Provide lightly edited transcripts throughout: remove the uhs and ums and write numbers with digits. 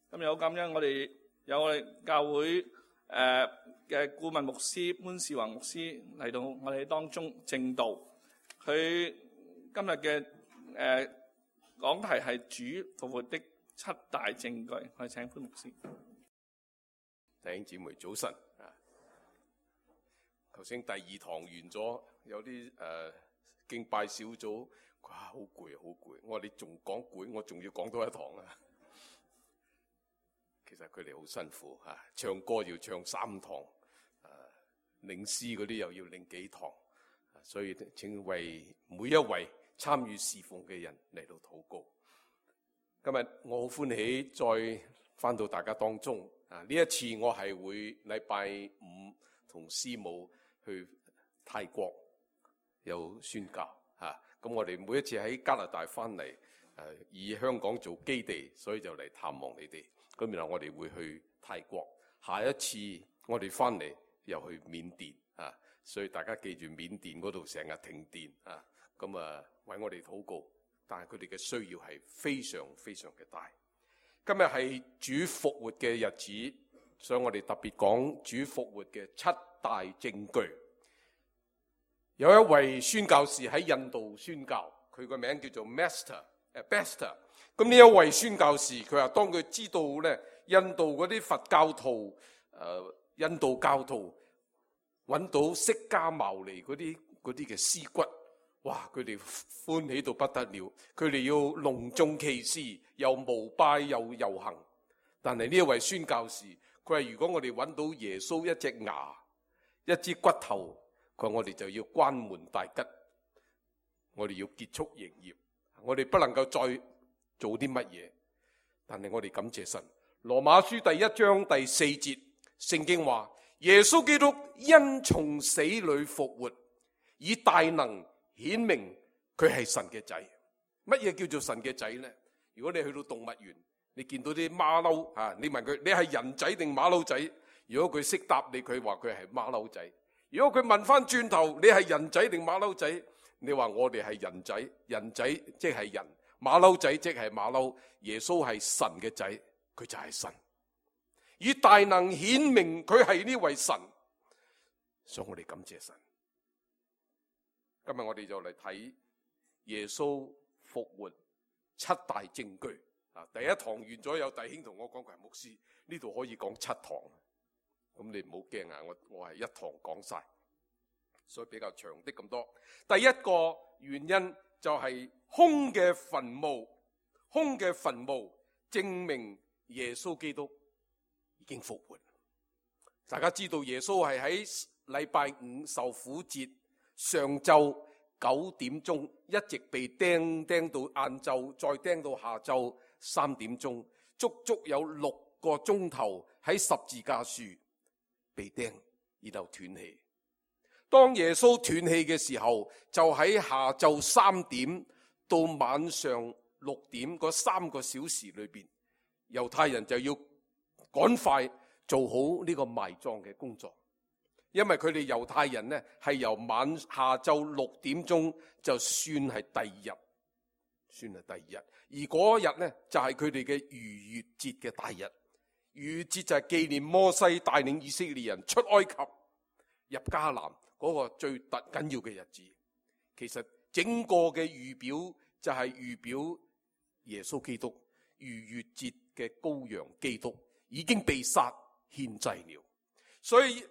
今日好感恩，我哋教會嘅顧問牧師潘少華牧師嚟到我哋當中證道。佢今日嘅講題係主復活的七大證據。我哋請潘牧師。弟兄姊妹早晨啊！頭先第二堂完咗，有啲敬拜小組，哇，好攰好攰。我話你仲講攰，我仲要講多一堂啊！其實佢哋好辛苦啊，唱歌要唱3堂，領詩嗰啲又要領幾堂，所以請為每一位參與侍奉嘅人嚟到禱告。今日我好歡喜再返到大家當中啊！呢一次我係會禮拜5同師母去泰國有宣教啊！咁我哋每一次喺加拿大返嚟，以香港做基地，所以就嚟探望你哋。咁然後我哋會去泰國，下一次我哋翻嚟又去緬甸啊，所以大家記住緬甸嗰度成日停電啊，咁為我哋禱告，但係佢哋嘅需要係非常非常嘅大。今日係主復活嘅日子，所以我哋特別講主復活嘅7大證據。有一位宣教士喺印度宣教，佢個名叫做 Bester。咁呢一位宣教士，佢話當佢知道咧，印度嗰啲佛教徒、印度教徒揾到釋迦牟尼嗰啲嘅屍骨，哇！佢哋歡喜到不得了，佢哋要隆重其事，又膜拜又遊行。但係呢一位宣教士，佢話如果我哋揾到耶穌一隻牙、一支骨頭，佢話我哋就要關門大吉，我哋要結束營業，我哋不能夠再做啲乜嘢？但係我哋感謝神。羅馬書第1章第4節，聖經話耶穌基督因從死裏復活，以大能顯明佢係神嘅仔。乜嘢叫做神嘅仔呢？如果你去到動物園，你見到啲馬騮啊，你問佢你係人仔定馬騮仔？如果佢識答你，佢話佢係馬騮仔。如果佢問翻轉頭，你係人仔定馬騮仔？你話我哋係人仔，人仔即係人。馬騮仔即係馬騮，耶穌係神嘅仔，佢就係神，以大能顯明佢係呢位神，所以我哋感謝神。今日我哋就嚟睇耶穌復活7大證據啊！第一堂完咗，有弟兄同我講佢係牧師，呢度可以講7堂，咁你唔好驚啊！我係一堂講晒，所以比較長啲咁多。第一個原因就係空嘅墳墓，空嘅墳墓證明耶穌基督已經復活。大家知道耶穌係喺禮拜5受苦節上晝9點鐘一直被釘到晏晝，再釘到下晝3點鐘，足足有6個鐘頭喺十字架樹被釘，然後斷氣。當耶穌斷氣嘅時候，就喺下晝3點到晚上6點嗰3個小時裏邊，猶太人就要趕快做好呢個埋葬嘅工作，因為佢哋猶太人呢係由下晝6點鐘就算係第二日，而嗰日呢就係佢哋嘅逾越節嘅大日。逾越節就係紀念摩西帶領以色列人出埃及入迦南嗰個最緊要嘅日子。其實整個嘅預表就係預表耶穌基督逾越節嘅羔羊基督已經被殺獻祭了。所以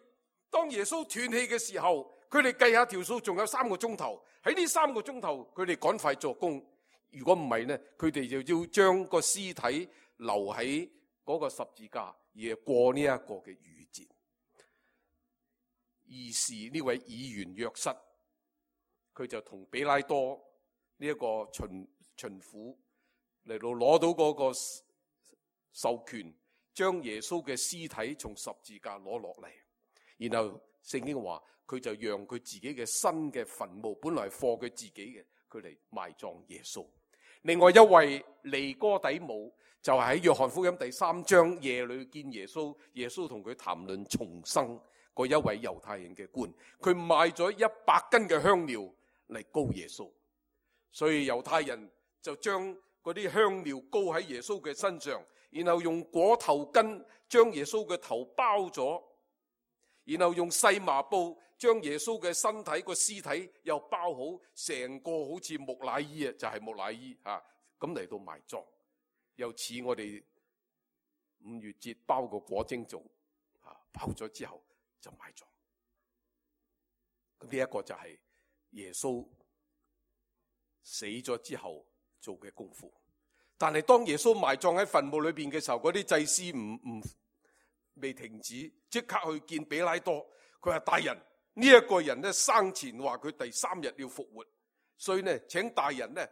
當耶穌斷氣嘅時候，佢哋計下條數，仲有3個鐘頭。喺呢3個鐘頭，佢哋趕快做工。如果唔係呢，佢哋就要將個屍體留喺嗰個十字架，而過呢一個嘅逾越節。於是呢位議員約瑟，佢就同比拉多呢一個巡撫嚟到攞到嗰個授權，將耶穌嘅屍體從十字架攞落嚟。然後聖經話佢就讓佢自己嘅新嘅墳墓，本來係放佢自己嘅，佢嚟埋葬耶穌。另外一位尼哥底母就係喺約翰福音第3章夜裏見耶穌，耶穌同佢談論重生嗰一位猶太人嘅官，佢賣咗100斤嘅香料嚟膏耶穌，所以猶太人就將嗰啲香料膏喺耶穌嘅身上，然後用裹頭巾將耶穌嘅頭包咗，然後用細麻布將耶穌嘅身體個屍體又包好，成個好似木乃伊啊，就係木乃伊啊，咁嚟到埋葬，又似我哋5月節包個裹蒸粽啊，包咗之後就埋葬。咁呢一個就係耶穌死咗之後做嘅功夫。但係當耶穌埋葬喺墳墓裏邊嘅時候，嗰啲祭司未停止，即刻去見彼拉多。佢話：大人，呢一個人咧生前話佢第3日要復活，所以呢請大人呢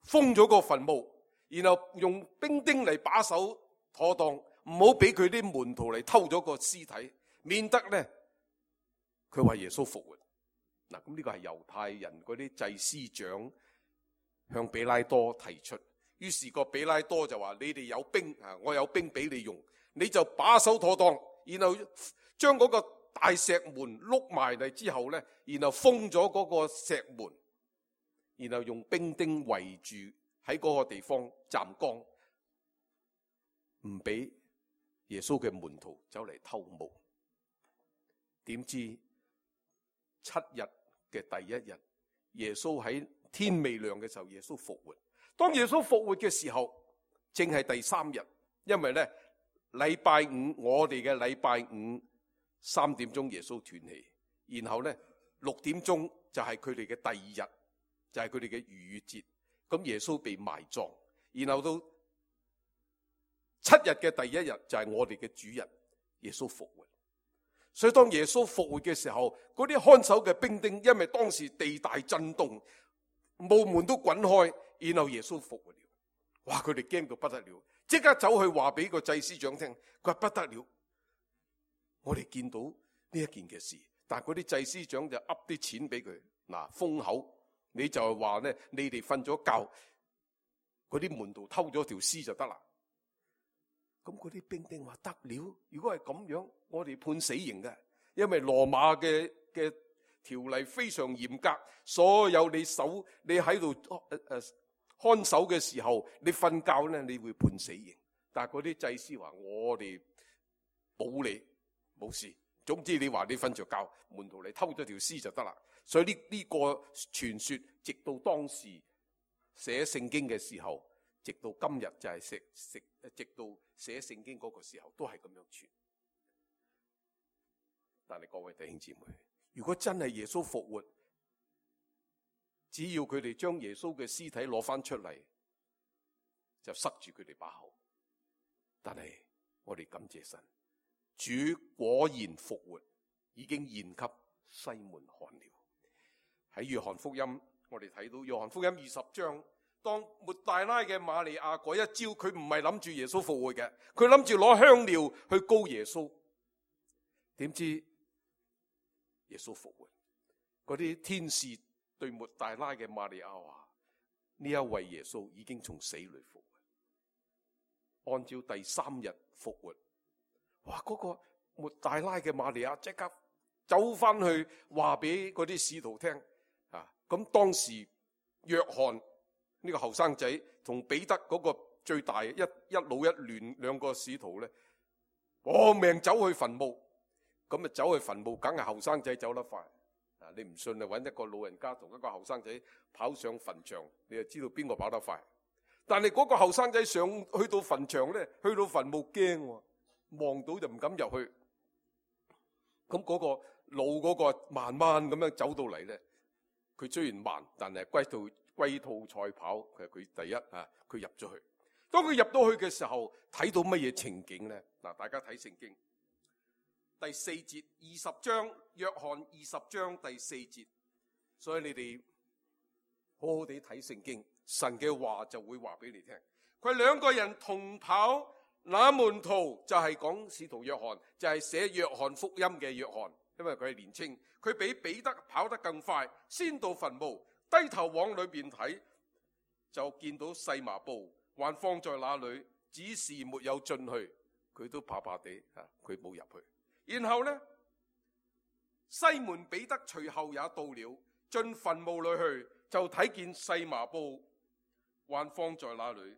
封咗個墳墓，然後用兵丁嚟把守妥當，唔好俾佢啲門徒嚟偷咗個屍體，免得呢佢話耶穌復活。嗱，咁呢個係猶太人嗰啲祭司長向彼拉多提出，於是個彼拉多就話：你哋有兵啊，我有兵俾你用，你就把守妥當，然後將嗰個大石門碌埋嚟之後呢，然後封咗嗰個石門，然後用兵丁圍住喺嗰個地方站崗，唔俾耶穌嘅門徒走嚟偷墓。點知7日嘅第1日，耶穌喺天未亮嘅時候，耶穌復活。當耶穌復活嘅時候，正係第3日，因為呢禮拜5，我哋嘅禮拜5 3點鐘耶穌斷氣，然後呢6點鐘就係佢哋嘅第2日，就係佢哋嘅逾越節。咁耶穌被埋葬，然後到7日嘅第1日就係我哋嘅主日，耶穌復活。所以當耶穌復活嘅時候，嗰啲看守嘅兵丁，因為當時地大震動，墓門都滾開，然後耶穌復活了。哇！佢哋驚到不得了，即刻走去話俾個祭司長聽，佢話不得了，我哋見到呢一件嘅事。但係嗰啲祭司長就噏啲錢俾佢，嗱，封口，你就係話呢，你哋瞓咗覺，嗰啲門徒偷咗條屍就得啦。咁嗰啲兵丁話得了，如果係咁樣，我哋判死刑嘅，因為羅馬嘅條例非常嚴格，所有你喺度看守嘅時候，你瞓覺呢，你會判死刑。但係嗰啲祭司話我哋保你冇事，總之你話你瞓着覺，門徒嚟偷咗條屍就得啦。所以呢個傳說，直到當時寫聖經嘅時候，直到今日就係直到寫聖經嗰個時候都係咁樣傳。但係各位弟兄姊妹，如果真係耶穌復活，只要佢哋將耶穌嘅屍體攞翻出嚟，就塞住佢哋把口。但係我哋感謝神，主果然復活，已經現給西門看了。喺約翰福音，我哋睇到約翰福音20章，當抹大拉嘅瑪利亞嗰一朝，佢唔係諗住耶穌復活嘅，佢諗住攞香料去膏耶穌。點知耶穌復活，嗰啲天使對抹大拉嘅瑪利亞話：呢一位耶穌已經從死裏復活，按照第3日復活。哇！嗰個抹大拉嘅瑪利亞即刻走翻去話俾嗰啲使徒聽啊！咁當時約翰呢個後生仔同彼得嗰個最大一老一嫩兩個使徒咧，搏命走去墳墓。咁啊走去墳墓，梗係後生仔走得快。啊，你唔信啊？揾一個老人家同一個後生仔跑上墳場，你就知道邊個跑得快。但係嗰個後生仔去到墳場咧，去到墳墓驚，望到就唔敢入去。咁嗰個老嗰個慢慢咁樣走到嚟咧，佢雖然慢，但係龜兔賽跑，佢第一啊，佢入咗去。當佢入到去嘅時候，睇到乜嘢情景咧？嗱，大家睇聖經第4節，20章，約翰20章第4節。所以你哋好好地睇聖經，神嘅話就會話俾你聽。佢兩個人同跑，那門徒就係講使徒約翰，就係寫約翰福音嘅約翰，因為佢係年青，佢比彼得跑得更快，先到墳墓，低頭往裏邊睇，就見到細麻布還放在那裏，只是沒有進去。佢都怕怕地，佢冇入去。然後呢，西門彼得隨後也到了，進墳墓裏去，就睇見細麻布還放在那裏。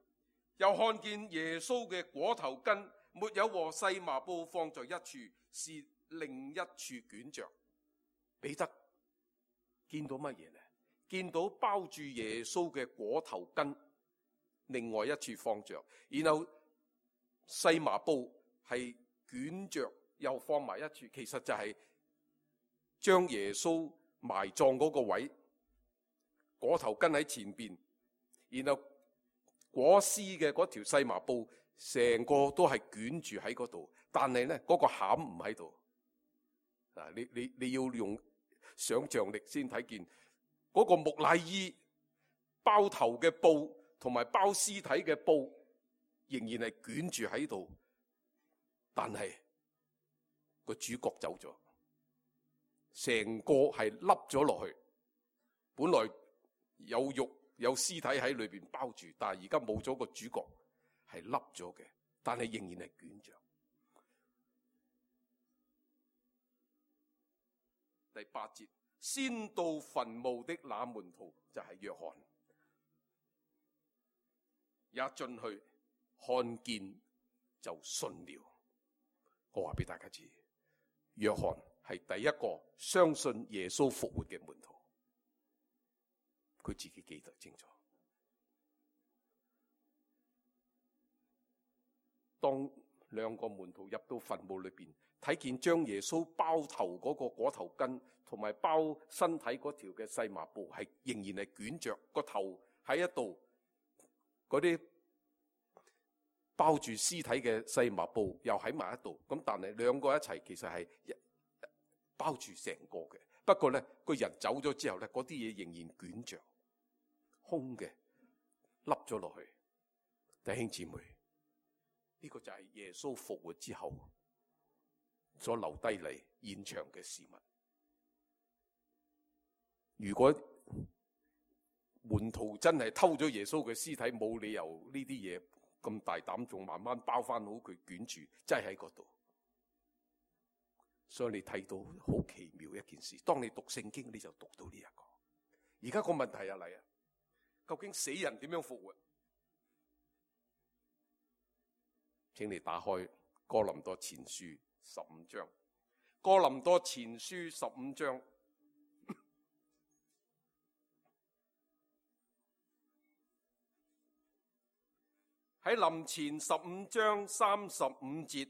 又看見耶穌嘅裹頭巾沒有和細麻布放在一處，是另一處捲着。彼得見到乜嘢呢？見到包住耶穌嘅裹頭巾另外一處放着，然後細麻布係捲着又放埋一處，其實就係將耶穌埋葬嗰個位，裹頭巾喺前邊，然後裹屍嘅嗰條細麻布成個都係捲住喺嗰度，但係咧嗰個餡唔喺度。你要用想像力先睇見嗰個木乃伊包頭嘅布同埋包屍體嘅布仍然係捲住喺度，但係個主角走咗，成個係凹咗落去。本來有肉有屍體喺裏邊包住，但係而家冇咗個主角，係凹咗嘅，但係仍然係捲着。第8節，先到墳墓的那門徒就係約翰，也進去看見就信了。我話俾大家知，約翰係第一個相信耶穌復活嘅門徒，佢自己記得清楚。當兩個門徒入到墳墓裏邊，睇見將耶穌包頭嗰個裹頭巾同埋包身體嗰條嘅細麻布係仍然係捲着，個頭喺一度，嗰啲包住屍體嘅細麻布又喺埋一度，咁但係兩個一齊其實係包住成個嘅。不過咧，個人走咗之後咧，嗰啲嘢仍然捲着，空嘅，凹咗落去。弟兄姊妹，呢個就係耶穌復活之後所留低嚟現場嘅事物。如果門徒真係偷咗耶穌嘅屍體，冇理由呢啲嘢咁大膽，仲慢慢包翻好佢捲住，真係喺嗰度。所以你睇到好奇妙一件事，當你讀聖經，你就讀到呢一個。而家個問題又嚟啊，究竟死人點樣復活？請你打開哥林多前書15章，哥林多前書15章。喺林前15章35節，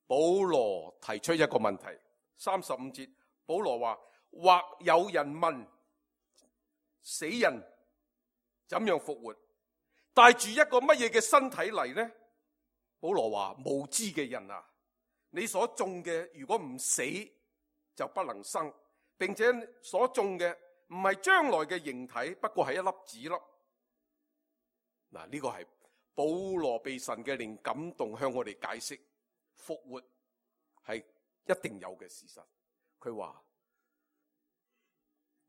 保羅提出一個問題。35節，保羅話：或有人問，死人怎樣復活？帶住一個乜嘢嘅身體嚟呢？保羅話：無知嘅人啊，你所種嘅如果唔死就不能生，並且所種嘅唔係將來嘅形體，不過係一粒子粒。嗱，呢個係保羅被神嘅靈感動，向我哋解釋復活係一定有嘅事實。佢話：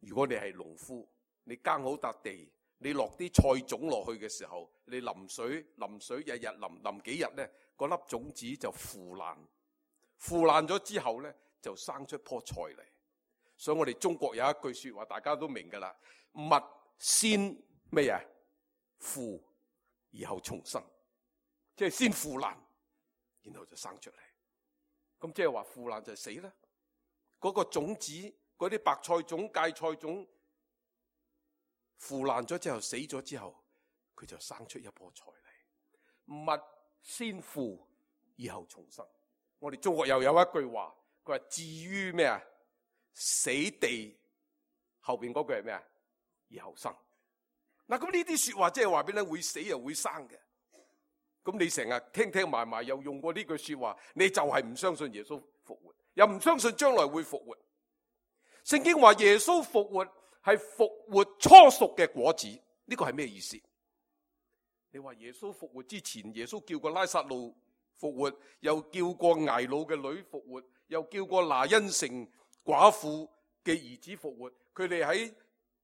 如果你係農夫，你耕好笪地，你落啲菜種落去嘅時候，你淋水，日日淋幾日呢，嗰粒種子就腐爛咗之後呢，就生出棵菜嚟。所以我哋中國有一句說話，大家都明噶啦：物先咩嘢？腐而後重生，即係先腐爛，然後就生出嚟。咁即係話腐爛就死啦。嗰個種子，嗰啲白菜種、芥菜種腐爛咗之後，死咗之後，佢就生出一棵菜嚟。物先腐而後重生。我哋中國又有一句話，佢話至於咩啊？死地後邊嗰句係咩啊？而後生。嗱，咁呢啲說話即係話俾你會死又會生嘅。咁你成日聽埋又用過呢句說話，你就係唔相信耶穌復活，又唔相信將來會復活。聖經話耶穌復活係復活初熟嘅果子，呢個係咩意思？你話耶穌復活之前，耶穌叫過拉撒路復活，又叫過睚魯嘅女復活，又叫過拿因城寡婦嘅兒子復活。佢哋喺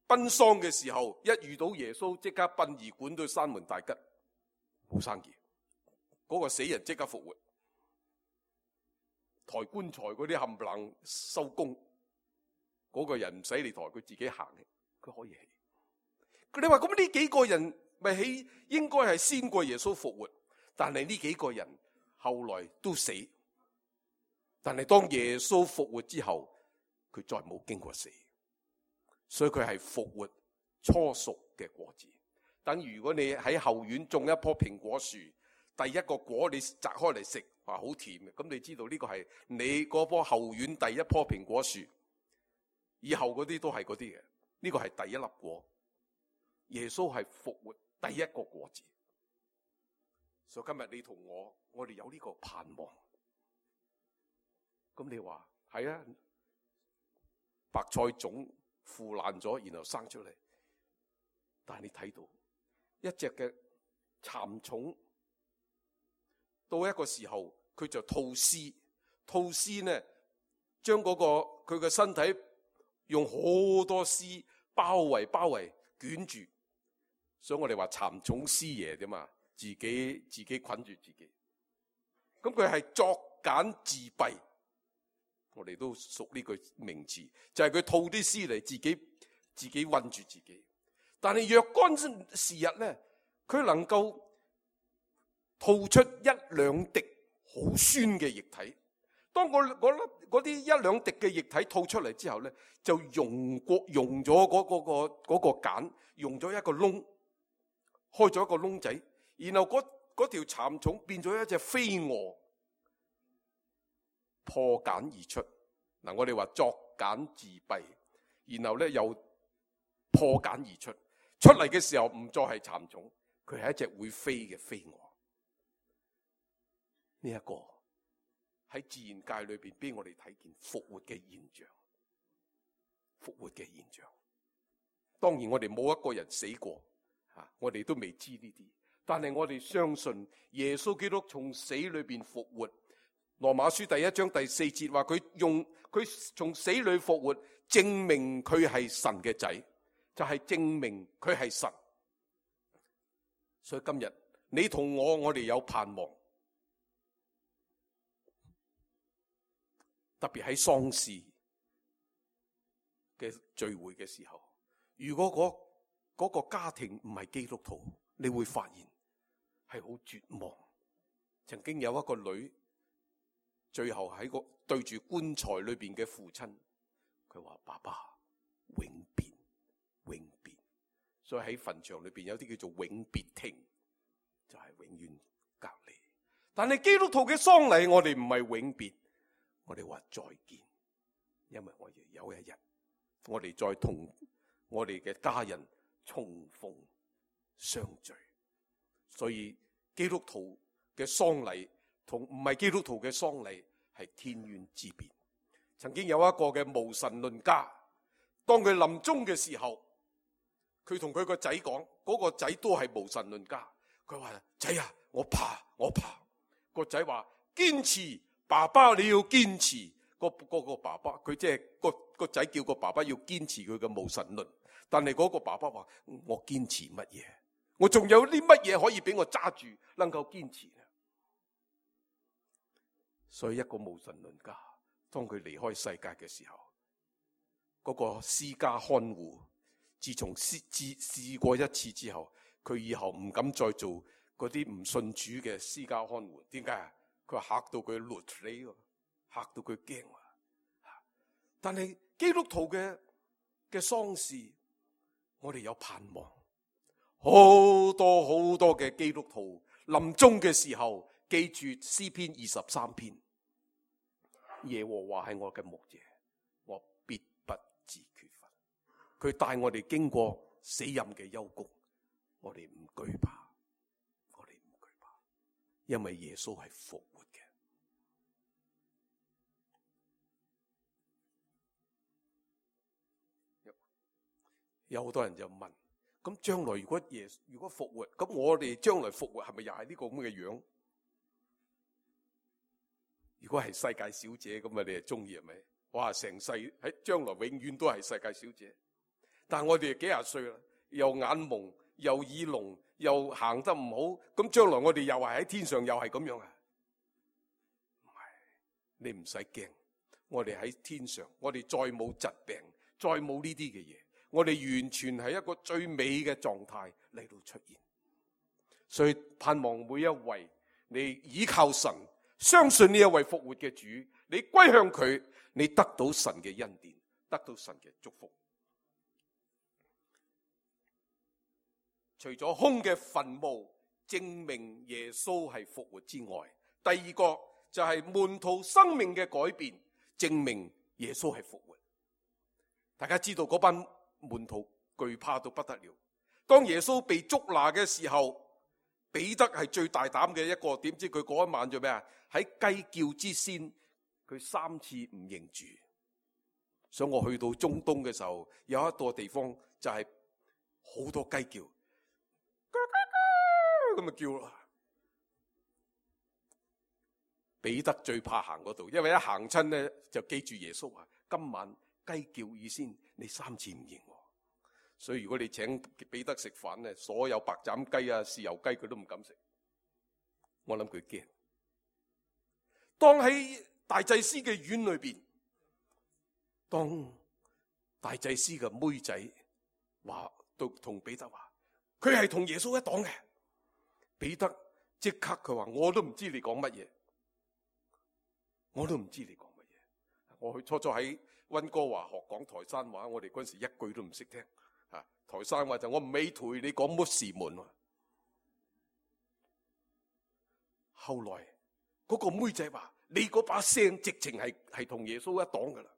奔喪嘅時候，一遇到耶穌，即刻殯儀館都閂門大吉，冇生意。嗰個死人即刻復活，抬棺材嗰啲冚唪唥收工，嗰個人唔使你抬，佢自己行嘅，佢可以起。你話咁呢幾個人應該係先過耶穌復活，但係呢幾個人後來都死。但係當耶穌復活之後，佢再冇經過死，所以佢係復活初熟嘅果子。等於如果你喺後院種一棵蘋果樹，第一個果你摘開嚟食，話好甜嘅，咁你知道呢個係你嗰棵後院第一棵蘋果樹，以後嗰啲都係嗰啲嘅，呢個係第一粒果。耶穌係復活第一個果子，所以今日你同我哋有呢個盼望。咁你話係啊，白菜種腐爛咗，然後生出嚟。但係你睇到一隻嘅蠶蟲，到一個時候佢就吐絲，吐絲呢將嗰佢嘅身體用好多絲包圍捲住，所以我哋話蠶蟲師爺啫嘛，自己捆住自己。咁佢係作繭自閉。我哋都熟呢句名詞，就係佢吐啲絲嚟自己韞住自己。但係若干時日咧，佢能夠吐出一兩滴好酸嘅液體。當嗰啲一兩滴嘅液體吐出嚟之後咧，就溶咗嗰個繭，溶咗一個窿，開咗一個窿仔，然後嗰條蠶蟲變咗一隻飛蛾。破繭而出，嗱，我哋話作繭自閉，然後咧又破繭而出，出嚟嘅時候唔再係蠶蟲，佢係一隻會飛嘅飛蛾。呢一個喺自然界裏邊俾我哋睇見復活嘅現象，復活嘅現象。當然我哋冇一個人死過，我哋都未知呢啲，但係我哋相信耶穌基督從死裏邊復活。羅馬書第1章第4節話佢從死裏復活，證明佢係神嘅仔，就係證明佢係神。所以今日你同我哋有盼望，特別喺喪事嘅聚會嘅時候，如果嗰個家庭唔係基督徒，你會發現係好絕望。曾經有一個女，最後喺個對住棺材裏邊嘅父親，佢話：爸爸永別，永別。所以喺墳場裏邊有啲叫做永別亭，就係永遠隔離。但係基督徒嘅喪禮，我哋唔係永別，我哋話再見，因為我哋有一日，我哋再同我哋嘅家人重逢相聚。所以基督徒嘅喪禮同唔係基督徒嘅喪禮係天淵之別。曾經有一個嘅無神論家，當佢臨終嘅時候，佢同佢個仔講，嗰個仔都係無神論家。佢話：仔啊，我怕。個仔話：堅持，爸爸你要堅持。個爸爸，佢即係個仔叫個爸爸要堅持佢嘅無神論。但係嗰個爸爸話：我堅持乜嘢？我仲有啲乜嘢可以俾我揸住，能夠堅持呢？所以一個無神論家，當佢離開世界嘅時候，嗰個私家看護，自從試過一次之後，佢以後唔敢再做嗰啲唔信主嘅私家看護。點解啊？佢話嚇到佢攣死，嚇到佢驚。但係基督徒嘅喪事，我哋有盼望。好多嘅基督徒臨終嘅時候，記住詩篇23篇，耶和華係我嘅牧者，我必不致缺乏。佢帶我哋經過死蔭嘅幽谷，我哋唔懼怕，因為耶穌係復活嘅。有好多人就問：咁將來如果復活，咁我哋將來復活係咪又係呢個咁嘅樣？如果係世界小姐咁啊，你係中意係咪？哇！成世喺將來永遠都係世界小姐。但係我哋幾廿歲啦，又眼蒙又耳聾又行得唔好，咁將來我哋又係喺天上又係咁樣啊？唔係，你唔使驚，我哋喺天上，我哋再冇疾病，再冇呢啲嘅嘢，我哋完全係一個最美嘅狀態嚟到出現。所以盼望每一位你倚靠神，相信呢一位復活嘅主，你歸向佢，你得到神嘅恩典，得到神嘅祝福。除咗空嘅墳墓證明耶穌係復活之外，第二個就係門徒生命嘅改變，證明耶穌係復活。大家知道嗰班門徒懼怕到不得了。當耶穌被捉拿嘅時候，彼得係最大膽嘅一個，點知佢嗰一晚做咩啊？喺雞叫之先，佢3次唔認主。所以我去到中東嘅時候，有一個地方就係好多雞叫，咁咪叫咯。彼得最怕行嗰度，因為一行親咧就記住耶穌話：今晚雞叫以先，你3次唔認我。所以如果你請彼得食飯咧，所有白斬雞啊、豉油雞佢都唔敢食。我諗佢驚。當喺大祭司嘅院裏邊，當大祭司嘅妹仔話同彼得話，佢係同耶穌一黨嘅。彼得即刻佢話：我都唔知你講乜嘢，我都唔知你講乜嘢。我去初喺溫哥華學講台山話，我哋嗰陣時一句都唔識聽。台山話就我唔美頹，你講乜事門。後來嗰個妹仔話：你嗰把聲直情係同耶穌一黨噶啦。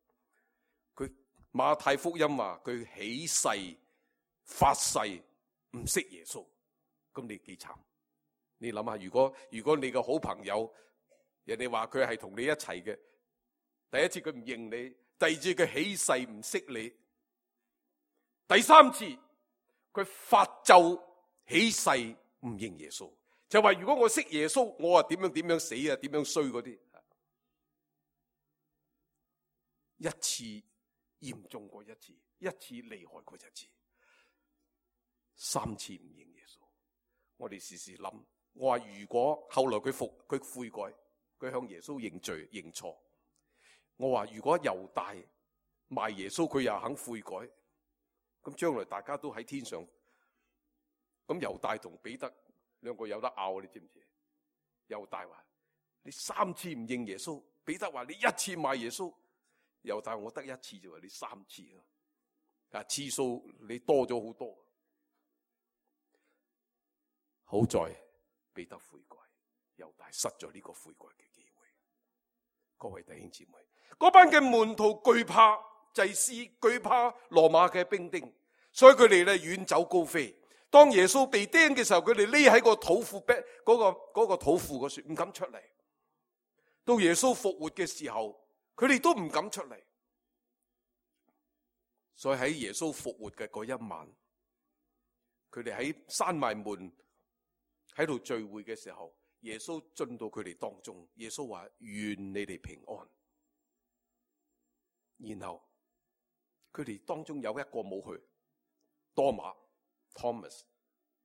佢馬太福音話佢起誓發誓唔識耶穌，咁你幾慘？你諗下，如果你個好朋友，人哋話佢係同你一齊嘅，第一次佢唔認你，第二次佢起誓唔識你，第3次佢發咒起誓唔認耶穌，就話如果我識耶穌，我啊點樣死啊，點樣衰嗰啲。一次嚴重過一次，一次厲害過一次，3次唔認耶穌。我哋時時諗，我話如果後來佢悔改，佢向耶穌認罪認錯，我話如果猶大賣耶穌，佢又肯悔改，咁將來大家都喺天上，咁猶大同彼得兩個有得拗，你知唔知？猶大話你3次唔認耶穌，彼得話你1次賣耶穌。猶大我得1次啫，你3次啊，次數你多咗好多。好在彼得悔改，猶大失咗呢個悔改嘅機會。各位弟兄姊妹，嗰班嘅門徒懼怕祭司，懼怕羅馬嘅兵丁，所以佢哋咧遠走高飛。當耶穌被釘嘅時候，佢哋匿喺個土庫嗰個土庫嗰處，唔敢出嚟。到耶穌復活嘅時候，佢哋都唔敢出嚟。所以喺耶穌復活嘅嗰一晚，佢哋喺閂埋門喺度聚會嘅時候，耶穌進到佢哋當中。耶穌話：願你哋平安。然後佢哋當中有一個冇去，多馬 Thomas，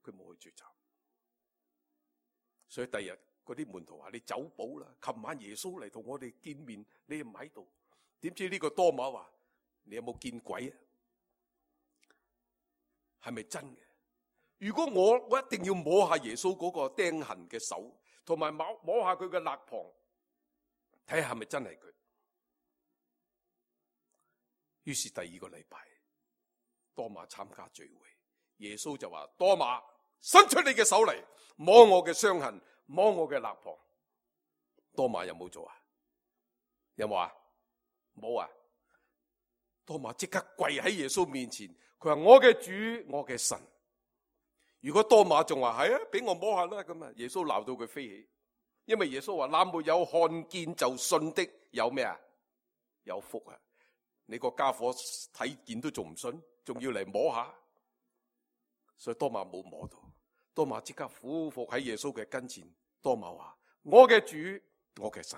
佢冇去聚集。所以第日嗰啲門徒話：你走寶啦！琴晚耶穌嚟同我哋見面，你又唔喺度。點知呢個多馬話：你有冇見鬼啊？係咪真嘅？如果我一定要摸下耶穌嗰個釘痕嘅手，同埋摸下佢嘅肋旁，睇下係咪真係佢。於是第2個禮拜，多馬參加聚會，耶穌就話：多馬，伸出你嘅手嚟，摸我嘅傷痕，摸我嘅肋旁。多馬有冇做啊？有冇啊？冇啊！多馬即刻跪喺耶穌面前，佢話：我嘅主，我嘅神。如果多馬仲話係啊，俾我摸下啦，咁啊，耶穌鬧到佢飛起，因為耶穌話：那沒有看見就信的有咩啊？有福啊！你個家伙睇見都仲唔信，仲要嚟摸下，所以多馬冇摸到。多馬即刻俯伏喺耶穌嘅跟前。多馬話：我嘅主，我嘅神。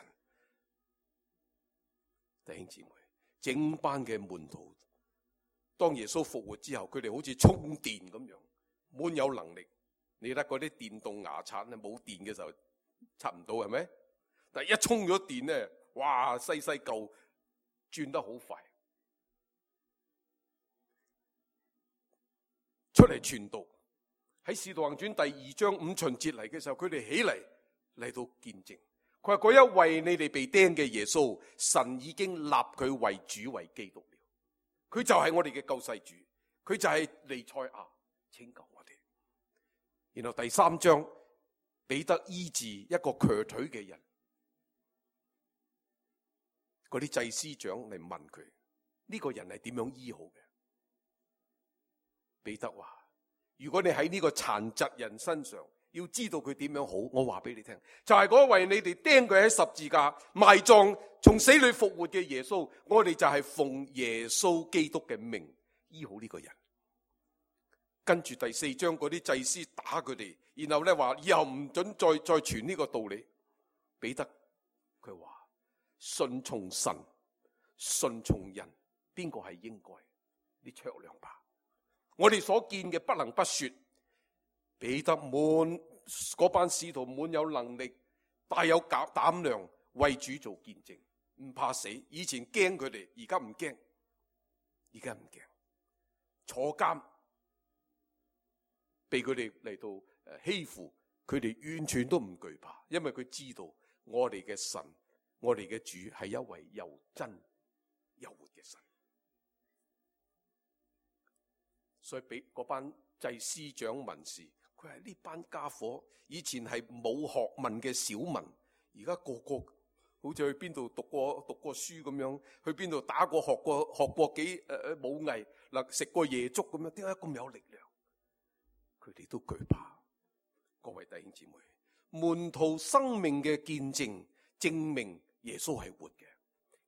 弟兄姊妹，整班嘅門徒，當耶穌復活之後，佢哋好似充電咁樣，滿有能力。你睇嗰啲電動牙刷咧，冇電嘅時候刷唔到，係咪？但係一充咗電咧，哇，細舊轉得好快，出嚟傳道，喺使徒行傳第2章5旬節嚟嘅時候，佢哋起嚟到見證。佢話嗰一位你哋被釘嘅耶穌，神已經立佢為主為基督了。佢就係我哋嘅救世主，佢就係彌賽亞，拯救我哋。然後第3章，彼得醫治一個瘸腿嘅人，嗰啲祭司長嚟問佢呢個人係點樣醫好嘅？彼得話：如果你喺呢個殘疾人身上要知道佢點樣好，我話俾你聽，就係嗰位你哋釘佢喺十字架埋葬從死裏復活嘅耶穌，我哋就係奉耶穌基督嘅名醫好呢個人。跟住第4章嗰啲祭司打佢哋，然後咧話以後唔准再傳呢個道理。彼得佢話：順從神順從人，邊個係應該？你酌量吧。我哋所見嘅不能不說，彼得嗰班使徒滿有能力，大有膽量為主做見證，唔怕死。以前驚佢哋，而家唔驚，而家唔驚。坐監被佢哋嚟到欺負，佢哋完全都唔懼怕，因為佢知道我哋嘅神，我哋嘅主係一位又真又活嘅神。所以俾嗰班祭司長文士，佢係呢班家伙以前係冇學問嘅小民，而家個個好似去邊度讀過書咁樣，去邊度打過學過幾武藝嗱，食過夜粥咁樣，點解咁有力量？佢哋都懼怕。各位弟兄姊妹，門徒生命嘅見證證明耶穌係活嘅。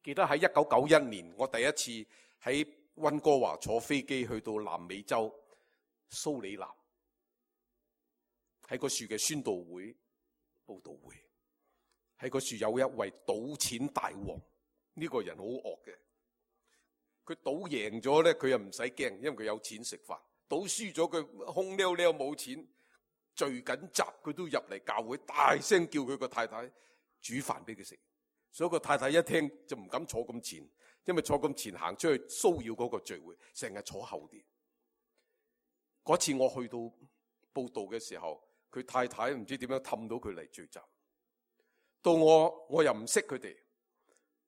記得喺1991年，我第一次喺溫哥華坐飛機去到南美洲蘇里南，喺嗰處嘅宣道會佈道會，喺嗰處有一位賭錢大王，呢個人好惡嘅。佢賭贏咗咧，佢又唔使驚，因為佢有錢食飯。賭輸咗佢空溜溜冇錢，聚緊集佢都入嚟教會，大聲叫佢個太太煮飯俾佢食。所以個太太一聽就唔敢坐咁前，因為坐咁前行出去騷擾嗰個聚會，成日坐後啲。嗰次我去到報道嘅時候，佢太太唔知點樣氹到佢嚟聚集。到我又唔識佢哋，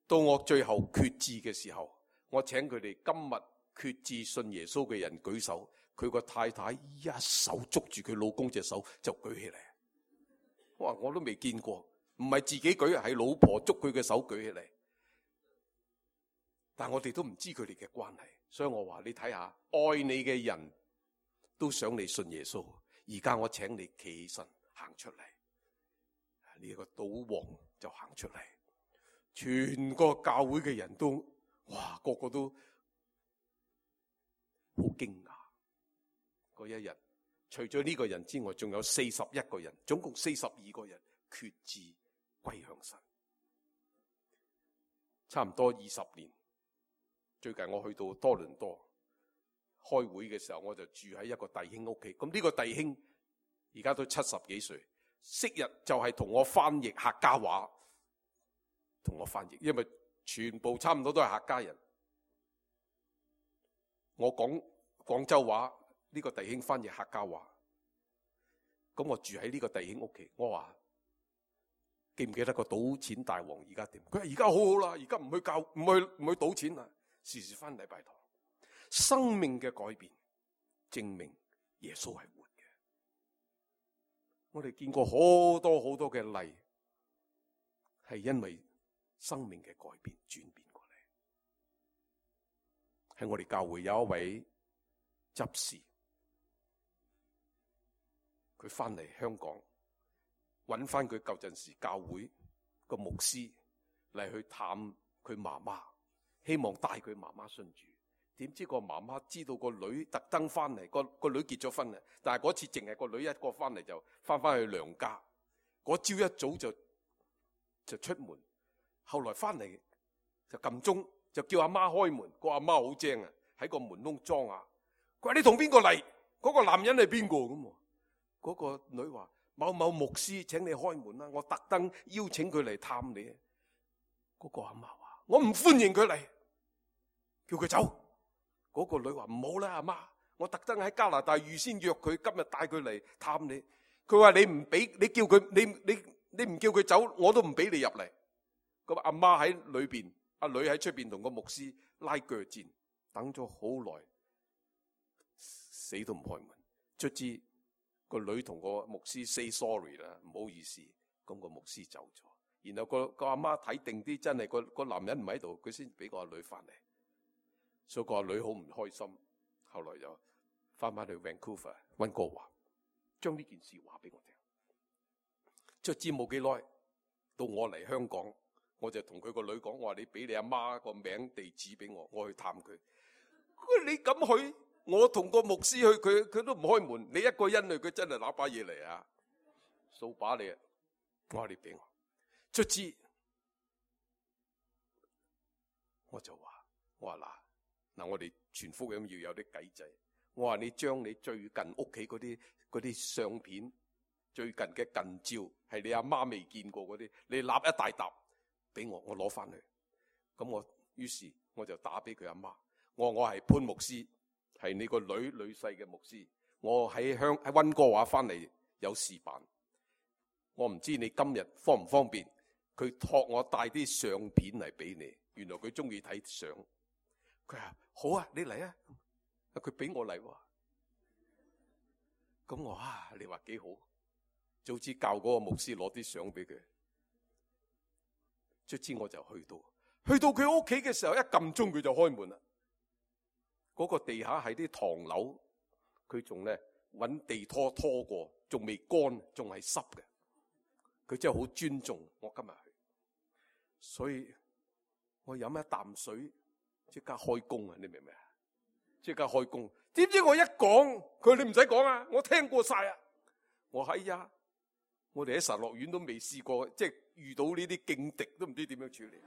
到我最後決志嘅時候，我請佢哋今日決志信耶穌嘅人舉手。佢個太太一手捉住佢老公隻手就舉起嚟，我都未見過，唔係自己舉，係老婆捉佢嘅手舉起嚟。但我哋都唔知佢哋嘅關係，所以我話你睇下，愛你嘅人都想你信耶穌。而家我請你企起身行出嚟，呢個賭王就行出嚟，全個教會嘅人都個個都好驚訝。嗰一日，除咗呢個人之外，仲有41個人，總共42個人決志歸向神。差唔多20年，最近我去到多倫多開會嘅時候，我就住喺一個弟兄屋企。咁呢個弟兄而家都70幾歲，昔日就係同我翻譯客家話，同我翻譯，因為全部差唔多都係客家人。我講廣州話。呢個弟兄翻譯客家話，咁我住喺呢個弟兄屋企。我話記唔記得個賭錢大王而家點？佢話而家好好啦，而家唔去賭錢啦，時時翻禮拜堂。生命嘅改變證明耶穌係活嘅。我哋見過好多好多嘅例，係因為生命嘅改變轉變過嚟。喺我哋教會有一位執事。佢翻嚟香港，揾翻佢舊陣時教會個牧師嚟去探佢媽媽，希望帶佢媽媽信主。點知個媽媽知道個女特登翻嚟，個女結咗婚啦，但係嗰次淨係個女一個翻嚟就翻去娘家。嗰朝一早就出門，後來翻嚟就撳鐘，就叫阿媽開門。個阿媽好精啊，喺個門窿裝啊。佢話你同邊個嚟？嗰個男人係邊個咁？嗰個女話某某牧師請你開門啦，我特登邀請佢嚟探你。嗰個阿媽話我唔歡迎佢嚟，叫佢走。嗰個女話唔好啦，阿媽，我特登喺加拿大預先約佢，今日帶佢嚟探你。佢話你唔俾，你叫佢，你唔叫佢走，我都唔俾你入嚟。咁阿媽喺裏邊，阿女喺出邊同個牧師拉鋸戰，等咗好耐，死都唔開門。卒之個女同個牧師 say sorry 啦，唔好意思。咁個牧師走咗，然後個阿媽睇定啲，真係個男人唔喺度，佢先俾個阿女翻嚟。所以個阿女好唔開心，後來就翻返去 Vancouver 溫哥華，將呢件事話俾我聽。卒之冇幾耐，到我嚟香港，我就同佢個女講，我話你俾你阿媽個名地址俾我，我去探佢。你咁去，我同個牧師去，佢都唔開門。你一個人去，佢真係拿把嘢嚟啊，掃把你啊！我話你俾我，卒之我就話，我話嗱，我哋傳福音要有啲計仔。我話你將你最近屋企嗰啲相片，最近嘅近照係你阿媽未見過嗰啲，你立一大沓俾我，我攞翻去。咁於是我就打俾佢阿媽，我係潘牧師，係你個女婿嘅牧師。我喺溫哥華翻嚟有事辦，我唔知你今日方唔方便。佢託我帶啲相片嚟俾你，原來佢中意睇相。佢話好啊，你嚟啊！佢俾我嚟喎。咁我你話幾好？早知教嗰個牧師攞啲相俾佢。卒之我就去到佢屋企嘅時候，一撳鐘佢就開門啦。嗰個地下係啲唐樓，佢仲咧搵地拖過，仲未乾，仲係濕嘅。佢真係好尊重我今日去，所以我飲一啖水即刻開工啊！你明唔明啊？即刻開工。點知我一講，佢話你唔使講啊，我聽過晒啊。我係呀，我哋喺神樂院都未試過，即係遇到呢啲勁敵都唔知點樣處理。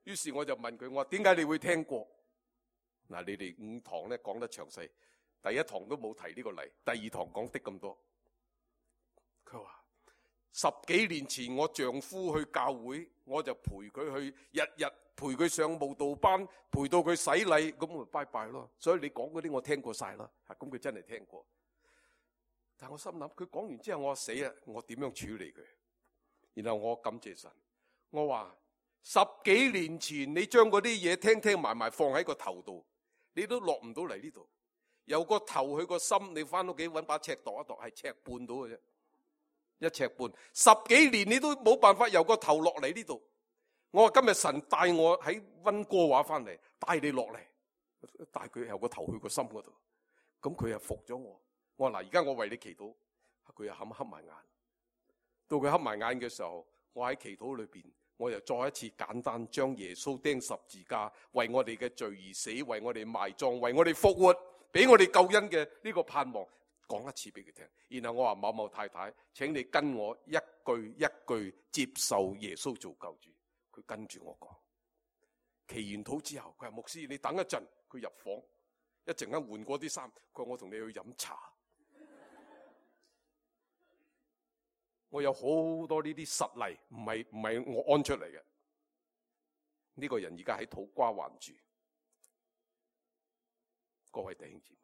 於是我就問佢，我話點解你會聽過？嗱，你哋5堂咧講得詳細，第1堂都冇提呢個例，第2堂講的咁多。佢話10幾年前我丈夫去教會，我就陪佢去，日日陪佢上慕道班，陪到佢洗禮，咁我拜拜咯。所以你講嗰啲我聽過晒啦，咁佢真係聽過。但我心諗，佢講完之後我死啊，我點樣處理佢？然後我感謝神，我話10幾年前你將嗰啲嘢聽埋放喺個頭度，你都落唔到嚟呢度。由個頭去個心，你翻屋企搵把尺度一度，係尺半到嘅啫，1尺半。10幾年你都冇辦法由個頭落嚟呢度。我話今日神帶我喺溫哥華翻嚟，帶你落嚟，帶佢由個頭去個心嗰度。咁佢又服咗我。我話嗱，而家我為你祈禱，佢又合埋眼。到佢合埋眼嘅時候，我喺祈禱裏邊，我又再一次簡單將耶穌釘十字架，為我哋嘅罪而死，為我哋埋葬，為我哋復活，俾我哋救恩嘅呢個盼望講一次俾佢聽。然後我話某某太太，請你跟我一句一句接受耶穌做救主。佢跟住我講，祈完禱之後，佢話牧師你等一陣，佢入房一陣間換過啲衫，佢話我同你去飲茶。我有好多呢啲實例，唔係我安出嚟嘅。呢個人而家喺土瓜灣住。各位弟兄姊妹，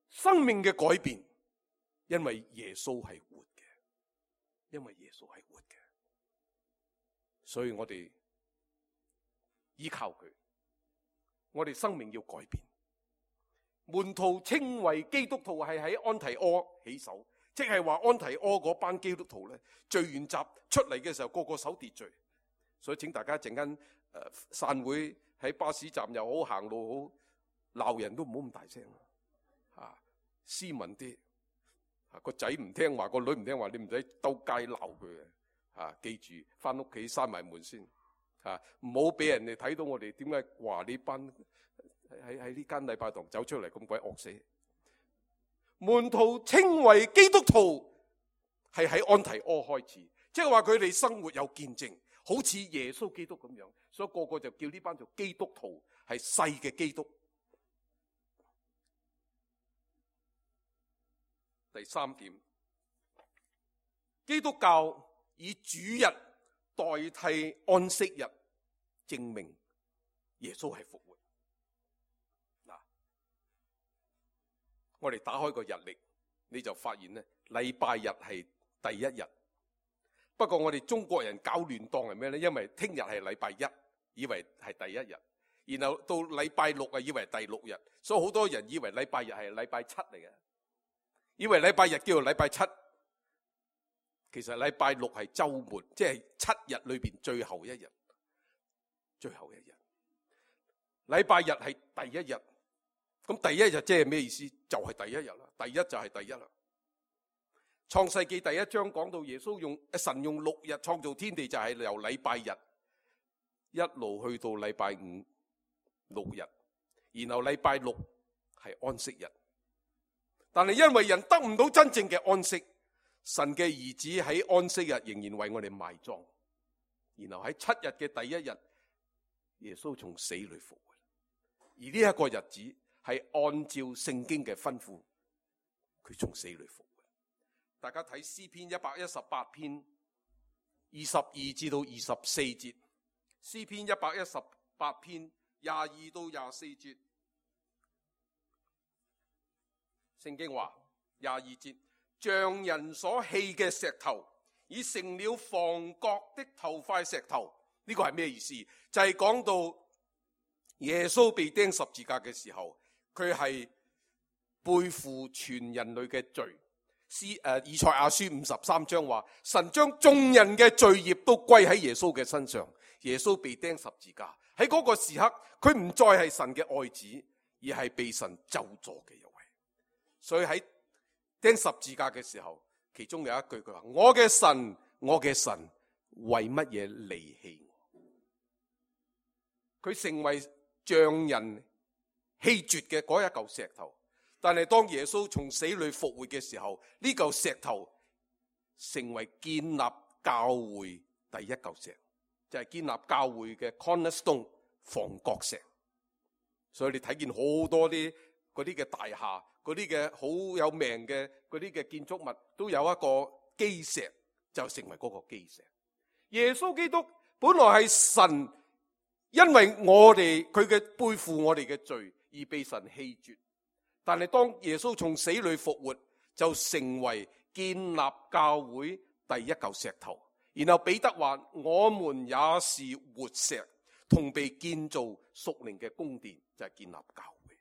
生命嘅改變，因為耶穌係活嘅，因為耶穌係活嘅，所以我哋依靠佢，我哋生命要改變。門徒稱為基督徒係喺安提阿起手。即係話安提阿嗰班基督徒咧，聚完集出嚟嘅時候，個個守秩序。所以請大家一陣間散會喺巴士站又好，行路好，鬧人都唔好咁大聲斯文啲。個仔唔聽話，個女唔聽話，你唔使兜街鬧佢嘅。記住翻屋企閂埋門先。唔好俾人哋睇到我哋點解話呢班喺呢間禮拜堂走出嚟咁鬼惡死。門徒稱為基督徒係喺安提阿開始，即係話佢哋生活有見證，好似耶穌基督咁樣，所以個個就叫呢班做基督徒，係細嘅基督。第3點，基督教以主日代替安息日，證明耶穌係復活。我哋打開個日曆，你就發現咧，禮拜日係第一日。不過我哋中國人搞亂當係咩咧？因為聽日係禮拜一，以為係第一日，然後到禮拜六啊，以為第六日，所以好多人以為禮拜日係禮拜七嚟嘅，以為禮拜日叫做禮拜七。其實禮拜六係週末，即係7日裏邊最後一日。最後一日，禮拜日係第一日。咁第一日即係咩意思？就係第一日啦。第一就係第一啦。創世記第1章講到神用6日創造天地，就係由禮拜日一路去到禮拜5 6日，然後禮拜6係安息日。但係因為人得唔到真正嘅安息，神嘅兒子喺安息日仍然為我哋埋葬，然後喺7日嘅第一日，耶穌從死裏復活。而呢一個日子係按照聖經嘅吩咐，佢從死裏復活。大家睇詩篇118篇22至到24節，詩篇118篇22到24節，聖經話22節，像人所棄嘅石頭，已成了房角的頭塊石頭。呢個係咩意思？就係講到耶穌被釘十字架嘅時候，佢係背負全人類嘅罪。以賽亞書53章話，神將眾人嘅罪孽都歸喺耶穌嘅身上。耶穌被釘十字架，喺嗰個時刻，佢唔再係神嘅愛子，而係被神咒詛嘅一位。所以喺釘十字架嘅時候，其中有一句佢話：我嘅神，我嘅神，為乜嘢離棄我？佢成為像人棄絕嘅嗰一嚿石頭。但係當耶穌從死裏復活嘅時候，呢嚿石頭成為建立教會第一嚿石，就係建立教會嘅 cornerstone 房角石。所以你睇見好多啲嗰啲嘅大廈，嗰啲嘅好有名嘅嗰啲嘅建築物，都有一個基石，就成為嗰個基石。耶穌基督本來係神，因為佢嘅背負我哋嘅罪而被神棄絕。但係當耶穌從死裏復活，就成為建立教會第一嚿石頭。然後彼得話：我們也是活石，同被建造屬靈嘅宮殿，就係建立教會。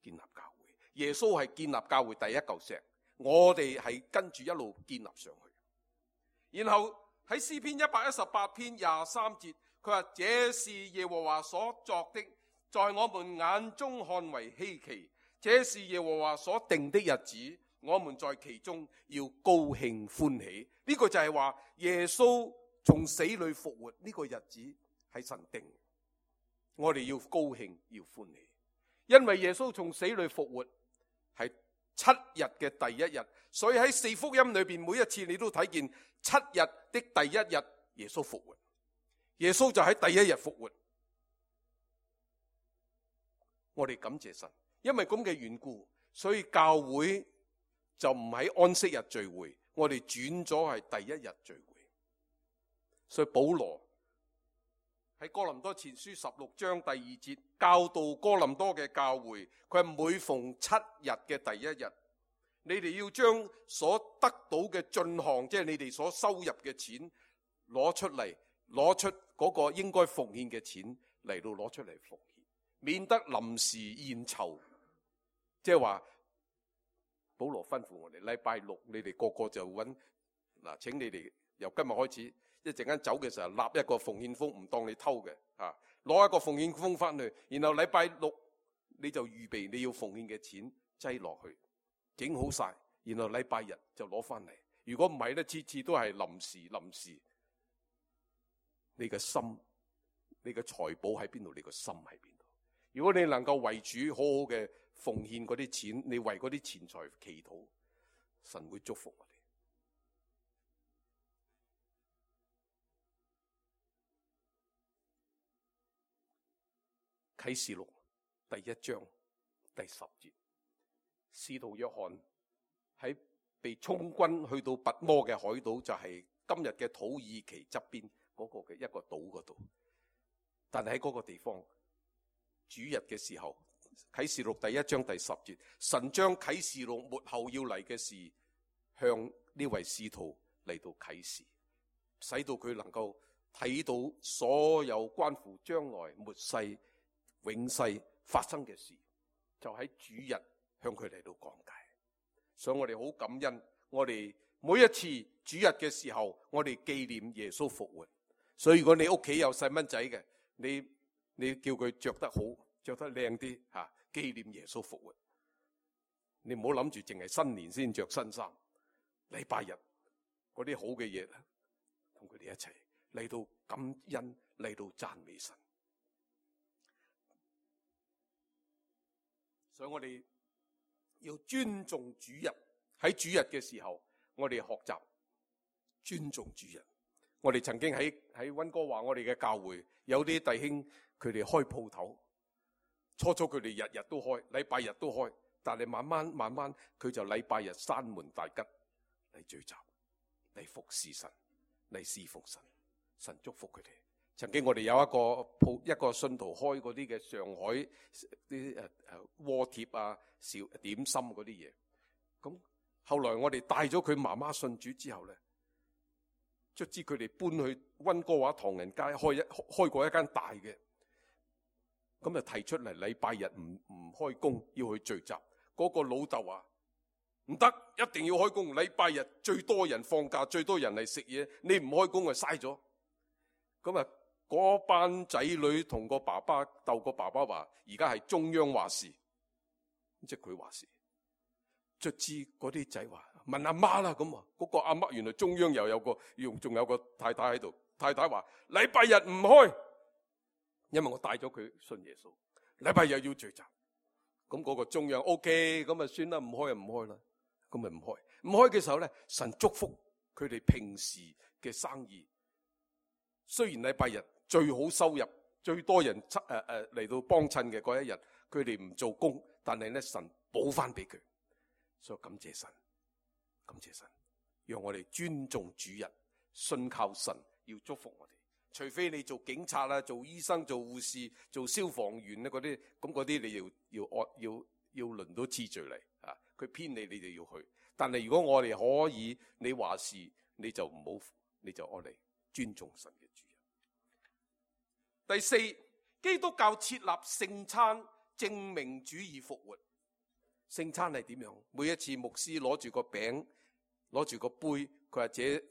建立教會，耶穌係建立教會第一嚿石，我哋係跟住一路建立上去。然後喺詩篇118篇23節，佢話：這是耶和華所作的，在我們眼中看為稀奇。這是耶和華所定的日子，我們在其中要高興歡喜。呢個就係話耶穌從死裏復活，呢個日子係神定，我哋要高興要歡喜。因為耶穌從死裏復活係7日嘅第一日，所以喺4福音裏邊每一次你都睇見7日的第一日耶穌復活，耶穌就喺第一日復活。我哋感謝神。因為咁嘅緣故，所以教會就唔喺安息日聚會，我哋轉咗係第一日聚會。所以保羅喺哥林多前書16章第2節教導哥林多嘅教會，佢係每逢7日嘅第一日，你哋要將所得到嘅進項，即係你哋所收入嘅錢攞出嚟，攞出嗰個應該奉獻嘅錢嚟到攞出嚟奉獻，免得臨時現籌。即係話保羅吩咐我哋禮拜六你哋個個就揾嗱，請你哋由今日開始一陣間走嘅時候立一個奉獻封，唔當你偷嘅啊，攞一個奉獻封翻去，然後禮拜六你就預備你要奉獻嘅錢擠落去，整好晒，然後禮拜日就攞翻嚟。如果唔係咧，次次都係臨時。你嘅心，你嘅財寶喺邊度？你個心喺邊度？如果你能夠為主好好嘅奉獻嗰啲錢，你為嗰啲錢財祈禱，神會祝福我哋。啟示錄第1章第10節，使徒約翰喺被充軍去到拔摩嘅海島，就係今日嘅土耳其側邊嗰個嘅一個島嗰度。但係喺嗰個地方，主日嘅時候，啟示錄第1章第10節，神將啟示錄末後要嚟嘅事向呢位使徒嚟到啟示，使到佢能夠睇到所有關乎將來末世永世發生嘅事，就喺主日向佢嚟到講解。所以我哋好感恩，我哋每一次主日嘅時候，我哋紀念耶穌復活。所以如果你屋企有細蚊仔嘅，你叫佢着得好，着得靚啲吓，紀念耶穌復活。你唔好諗住淨係新年先着新衫，禮拜日嗰啲好嘅嘢，同佢哋一齊嚟到感恩，嚟到讚美神。所以我哋要尊重主日，喺主日嘅時候，我哋學習尊重主日。我哋曾經喺溫哥華我哋嘅教會有啲弟兄，佢哋開鋪頭，初佢哋日日都開，禮拜日都開，但係慢慢佢就禮拜日閂門大吉嚟聚集，嚟服侍神，嚟侍奉神，神祝福佢哋。曾經我哋有一個信徒開嗰啲嘅上海啲鍋貼啊、小點心嗰啲嘢，咁後來我哋帶咗佢媽媽信主之後咧，卒之佢哋搬去溫哥華唐人街開過一間大嘅，咁就提出嚟禮拜日唔開工要去聚集。嗰個老豆話唔得，一定要開工，禮拜日最多人放假，最多人嚟食嘢，你唔開工就嘥咗。咁啊嗰班仔女同個爸爸鬥，個爸爸話而家係中央話事，即係佢話事。卒之嗰啲仔話問阿媽啦，咁啊嗰個阿媽原來中央又有個仲有個太太喺度，太太話禮拜日唔開，因為我帶咗佢信耶穌，禮拜日要聚集。咁嗰個中央 OK， 咁啊算啦，唔開就唔開啦，咁咪唔開。唔開嘅時候咧，神祝福佢哋平時嘅生意。雖然禮拜日最好收入、最多人嚟到幫襯嘅嗰一日，佢哋唔做工，但係咧神補翻俾佢，所以感謝神，感謝神，讓我哋尊重主日，信靠神，要祝福我哋。除非你做警察啦、做醫生、做護士、做消防員咧嗰啲，咁嗰啲你要輪到次序嚟啊！佢偏你就要去。但係如果我哋可以，你話事你就唔好，你就愛嚟尊重神嘅主日。第四，基督教設立聖餐，證明主已復活。聖餐係點樣？每一次牧師攞住個餅，攞住個杯，佢或者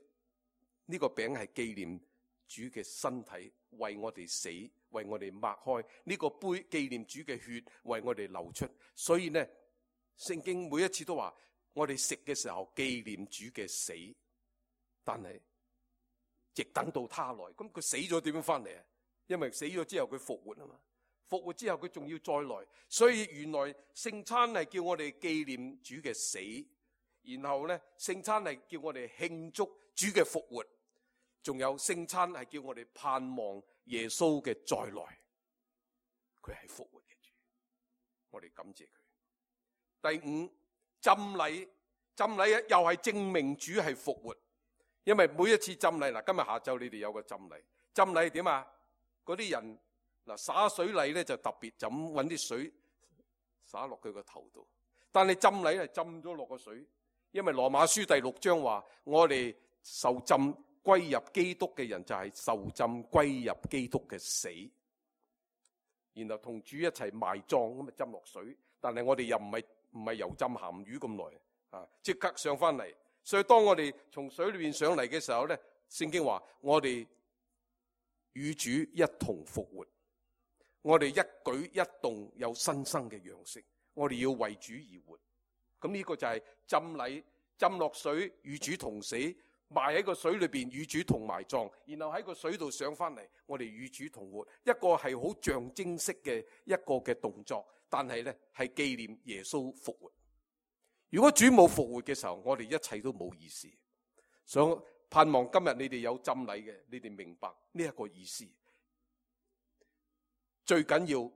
呢個餅係紀念主嘅身體為我哋死，為我哋擘開，呢個杯紀念主嘅血為我哋流出。所以呢，聖經每一次都話我哋食嘅時候紀念主嘅死，但係直等到他來。咁佢死咗點樣翻嚟啊？因為死咗之後佢復活啊嘛，復活之後佢仲要再來。所以原來聖餐係叫我哋紀念主嘅死，然後呢，聖餐係叫我哋慶祝主嘅復活。仲有聖餐係叫我哋盼望耶穌嘅再來，佢係復活嘅主，我哋感謝佢。第五，浸禮又係證明主係復活，因為每一次浸禮，嗱，今日下晝你哋有個浸禮，浸禮係點啊？嗰啲人嗱灑水禮咧就特別就咁搵啲水灑落佢個頭度，但係浸禮係浸咗落個水，因為羅馬書第6章話我哋受浸歸入基督嘅人就係受浸歸入基督嘅死，然後同主一齊埋葬，咁啊浸落水。但係我哋又唔係油浸鹹魚咁耐啊，即刻上翻嚟。所以當我哋從水裏邊上嚟嘅時候咧，聖經話我哋與主一同復活，我哋一舉一動有新生嘅樣式，我哋要為主而活。咁呢個就係浸禮，浸落水與主同死，埋喺個水裏邊與主同埋葬，然後喺個水度上翻嚟，我哋與主同活。一個係好象徵式嘅一個嘅動作，但係呢係紀念耶穌復活。如果主冇復活嘅時候，我哋一切都冇意思。所以盼望今日你哋有浸禮嘅，你哋明白呢一個意思。最緊要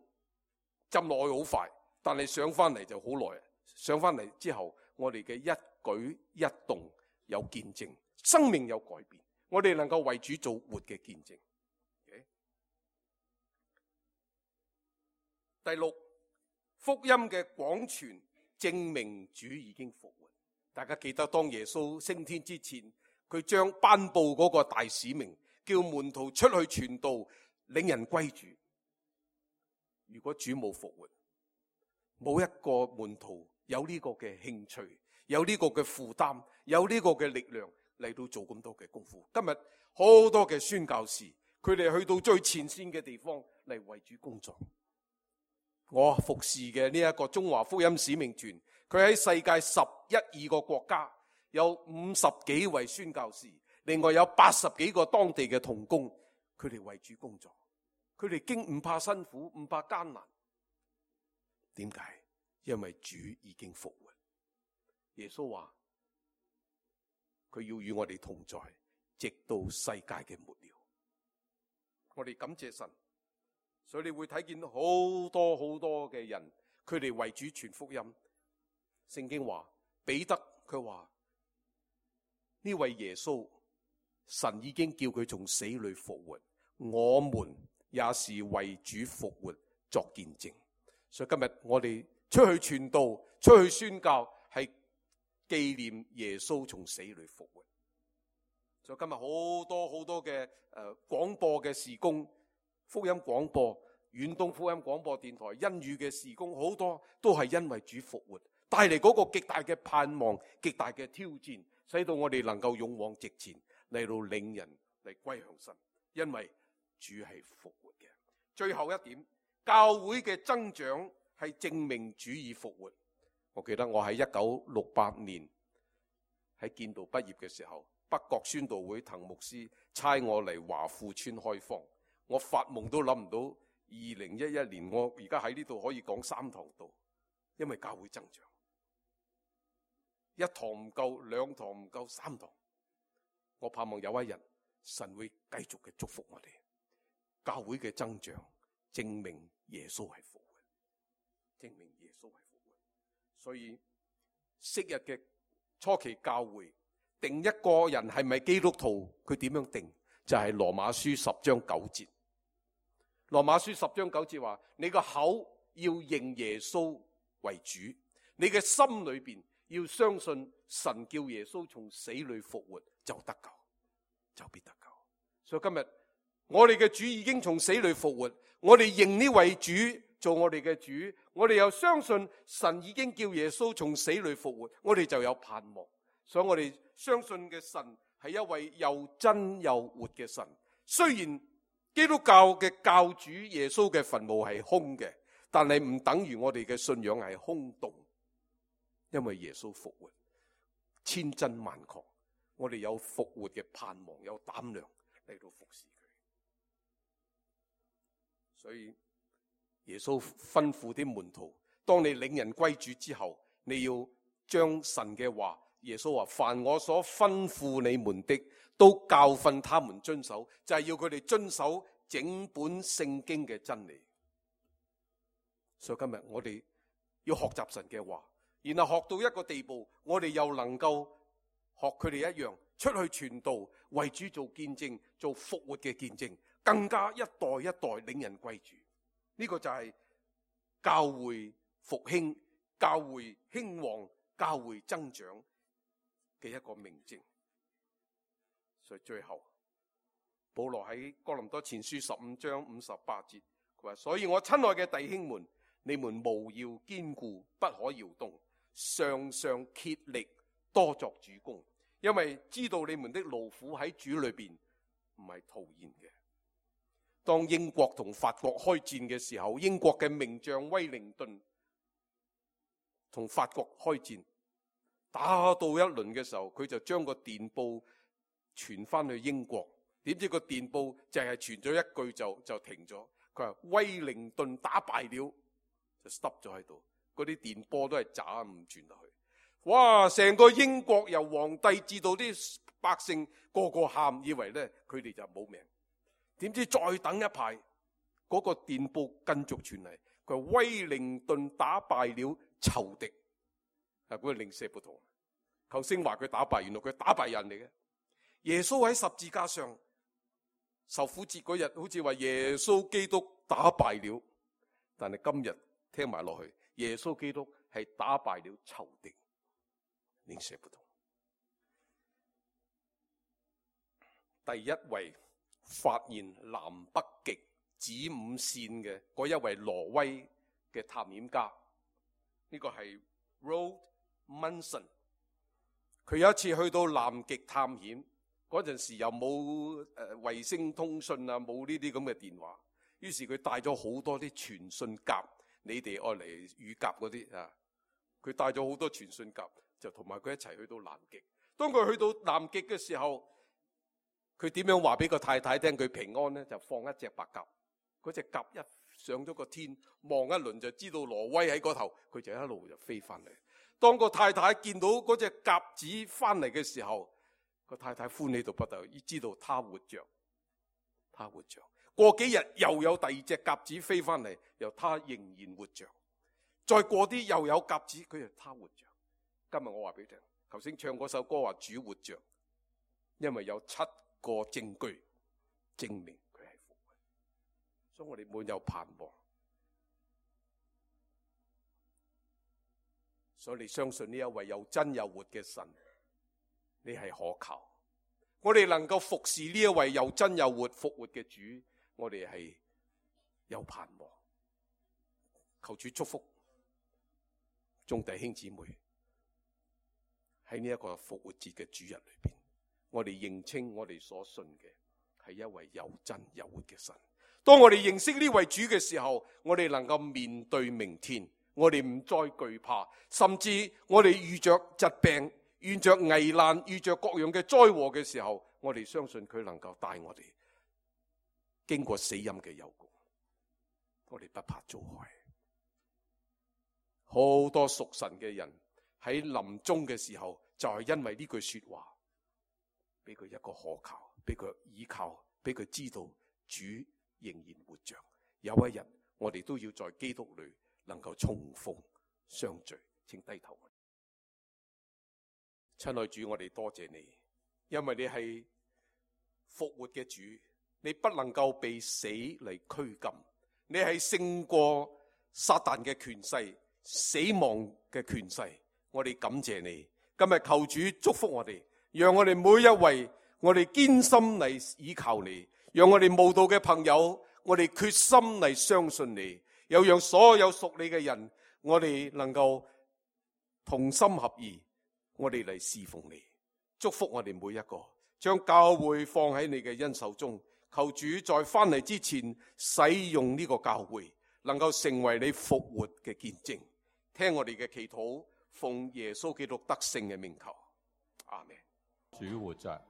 浸落去好快，但係上翻嚟就好耐。上翻嚟之後，我哋嘅一舉一動有見證，生命有改變，我哋能夠為主做活嘅見證。第六，福音嘅廣傳證明主已經復活。大家記得當耶穌升天之前，佢將頒布嗰個大使命，叫門徒出去傳道，領人歸主。如果主冇復活，冇一個門徒有呢個嘅興趣，有呢個嘅負擔，有呢個嘅力量嚟到做咁多嘅功夫。今日好多嘅宣教士，佢哋去到最前線嘅地方嚟為主工作。我服侍嘅呢一個中華福音使命團，佢喺世界11、12個國家有50幾位宣教士，另外有80幾個當地嘅同工，佢哋為主工作。佢哋經唔怕辛苦，唔怕艱難。點解？因為主已經復活。耶穌話佢要與我哋同在，直到世界嘅末了。我哋感謝神，所以你會睇見好多好多嘅人，佢哋為主傳福音。聖經話彼得佢話呢位耶穌，神已經叫佢從死裏復活，我們也是為主復活作見證。所以今日我哋出去傳道，出去宣教，係紀念耶穌從死裏復活。所以今日好多好多嘅廣播嘅事工，福音廣播、遠東福音廣播電台、恩語嘅事工，好多都係因為主復活帶嚟嗰個極大嘅盼望、極大嘅挑戰，使到我哋能夠勇往直前嚟到領人嚟歸向神，因為主係復活嘅。最後一點，教會嘅增長係證明主已復活。我記得我喺1968年喺建道畢業嘅時候，北角宣道會滕牧師差我嚟華富村開荒，我發夢都諗唔到2011年我而家喺呢度可以講3堂道，因為教會增長，一堂唔夠，兩堂唔夠，三堂。我盼望有一日神會繼續嘅祝福我哋，教會嘅增長證明耶穌係復活，證明耶穌係復活。所以昔日嘅初期教會定一個人係咪基督徒，佢點樣定？就係羅馬書10章9節。羅馬書10章9節話：你個口要認耶穌為主，你嘅心裏邊要相信神叫耶穌從死裏復活，就得救，就必得救。所以今日我哋嘅主已經從死裏復活，我哋認呢位主做我哋嘅主，我哋又相信神已經叫耶穌從死裏復活，我哋就有盼望。所以我哋相信嘅神係一位又真又活嘅神。雖然基督教嘅教主耶穌嘅墳墓係空嘅，但係唔等於我哋嘅信仰係空洞，因為耶穌復活，千真萬確，我哋有復活嘅盼望，有膽量嚟到服侍佢。所以耶穌吩咐啲門徒，當你領人歸主之後，你要將神嘅話，耶穌話：凡我所吩咐你們的，都教訓他們遵守，就係要佢哋遵守整本聖經嘅真理。所以今日我哋要學習神嘅話，然後學到一個地步，我哋又能夠學佢哋一樣，出去傳道，為主做見證，做復活嘅見證，更加一代一代領人歸主。呢個就係教會復興、教會興旺、教會增長嘅一個明證。所以最後保羅喺哥林多前書15章58節，佢話：所以我親愛嘅弟兄們，你們務要堅固，不可搖動，常常竭力多作主工，因為知道你們的勞苦喺主裏邊唔係徒然嘅。當英國同法國開戰嘅時候，英國嘅名將威靈頓同法國開戰，打到一輪嘅時候，佢就將個電報傳翻去英國，點知個電報淨係傳咗一句就停咗。佢話威靈頓打敗了，就 stop 咗喺度。嗰啲電波都係渣唔傳落去。哇！成個英國由皇帝至到啲百姓個個喊，以為咧佢哋就冇命。點知再等一排，嗰個電報繼續傳嚟，佢話威靈頓打敗了仇敵。嗰個零舍不同，頭先話佢打敗，原來佢打敗人嚟嘅。耶穌喺十字架上受苦節嗰日，好似話耶穌基督打敗了，但係今日聽埋落去，耶穌基督係打敗了仇敵，零舍不同。第一位發現南北極子午線嘅嗰一位挪威嘅探險家，呢個係 Roald Amundsen。佢有一次去到南極探險，嗰陣時又冇衛星通訊啊，冇呢啲咁嘅電話，於是佢帶咗好多啲傳信甲，你哋愛嚟乳鴿嗰啲啊，佢帶咗好多傳信甲，就同埋佢一齊去到南極。當佢去到南極嘅時候，佢點樣話俾個太太聽佢平安呢？就放一隻白鴿，嗰隻鴿一上咗個天，望一輪就知道挪威喺嗰頭，佢就一路就飛翻嚟。當個太太見到嗰隻鴿子翻嚟嘅時候，個太太歡喜到不得了，知道他活着，他活着。過幾日又有第二隻鴿子飛翻嚟，又他仍然活着。再過啲又有鴿子，佢又他活着。今日我話俾你聽，頭先唱嗰首歌話主活着，因為有7個證據證明佢係復活，所以我哋滿有盼望。所以你相信呢一位有真有活嘅神，你係可靠。我哋能夠服侍呢一位有真有活復活嘅主，我哋係有盼望。求主祝福眾弟兄姊妹喺呢一個復活節嘅主日裏邊，我哋認清我哋所信嘅係一位有真有活嘅神。當我哋認識呢位主嘅時候，我哋能夠面對明天，我哋唔再懼怕，甚至我哋遇着疾病、遇着危難、遇着各樣嘅災禍嘅時候，我哋相信佢能夠帶我哋經過死蔭嘅幽谷，我哋不怕遭害。好多屬神嘅人喺臨終嘅時候，就係因為呢句說話，俾佢一個可靠，俾佢依靠，俾佢知道主仍然活着。有一日我哋都要在基督裏能夠重逢相聚。請低頭。親愛主，我哋多謝你，因為你係復活嘅主，你不能夠被死嚟拘禁，你係勝過撒旦嘅權勢、死亡嘅權勢。我哋感謝你，今日求主祝福我哋，讓我哋每一位我哋堅心嚟倚靠你，讓我哋慕道嘅朋友我哋決心嚟相信你，又讓所有屬你嘅人我哋能夠同心合意，我哋嚟侍奉你。祝福我哋每一個，將教會放喺你嘅恩手中，求主在翻嚟之前使用呢個教會，能夠成為你復活嘅見證。聽我哋嘅祈禱，奉耶穌基督得勝嘅名求，阿們。主活着。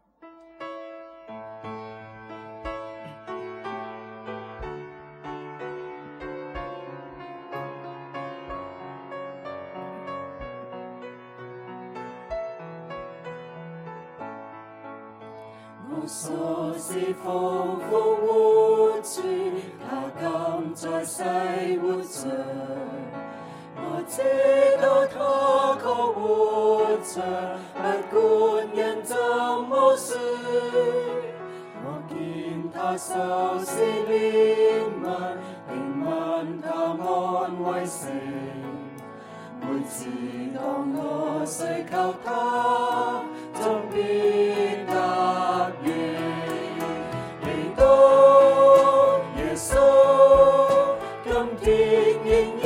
我所是復活主，他今在世活着。我知道他確活着，不管人怎麼說。我見他受施憐憫，憐憫他安慰性。每次當我需求他，總必答應。基督耶穌，今天仍然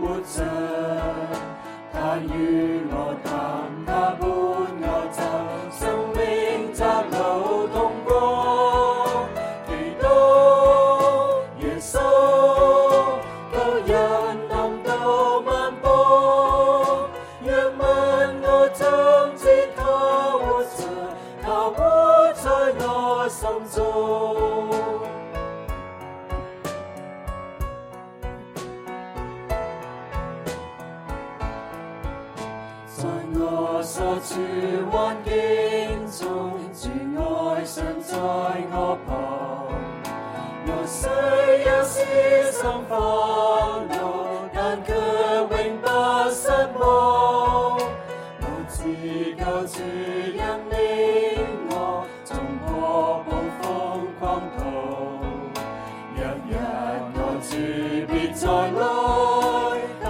活着，他與我談，他伴我走，生命窄路通過。基督耶穌，舊人臨到漫步，若問我怎知他活着，他活在我心中。在我所處環境中，主愛常在我旁。我雖有時心煩惱，但卻永不失望。我知救主引領我，衝破暴風狂途。日日我主必再來，帶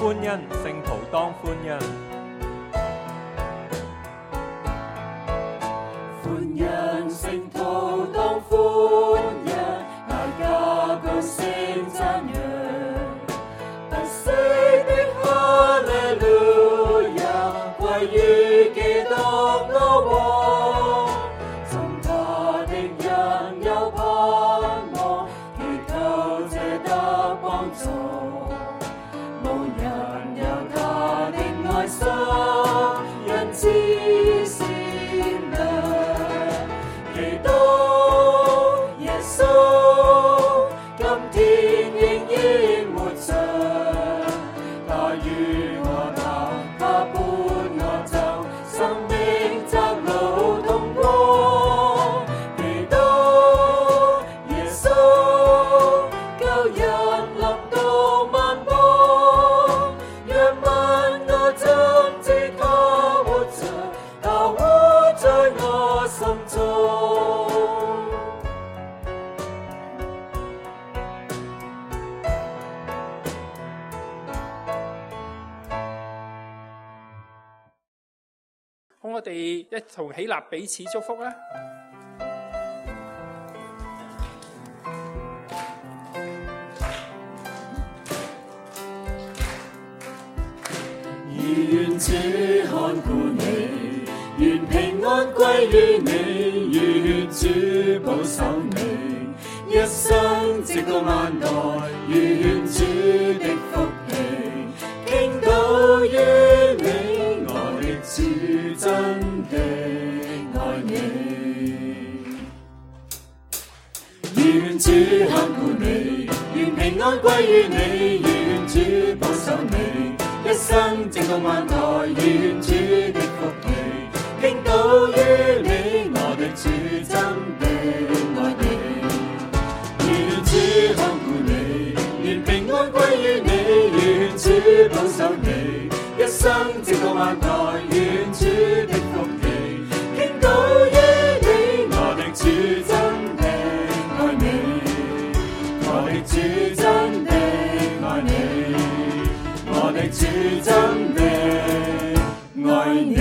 歡欣，聖徒當歡欣。歡欣聖徒當歡欣，大家高聲讚揚，不息的哈利路亞歸於基督我王，從他的人有盼望，祈求這得幫助，無人有他的愛心，人知善良。基督耶穌今天仍然活着，他與我跑，他伴我走，生命窄路同過。基督耶穌救人臨到萬邦，讓萬我怎知他活着，他活在我心中。好，我哋一同起立彼此祝福啦！願主看顧你，願平安歸於你，願主保守你，一生直到萬代，願主的福氣傾倒於你。我的主真的愛你，願主看顧你，願平安歸於你，願主保守你，一生直到萬代，願主的福氣傾倒於你。我的主真的愛你，願主看顧你，願平安歸於你，願主保守你，一生直到萬代，願主的福氣傾倒於你。我的主真的愛你，我的主真的愛你，我的主真的愛你。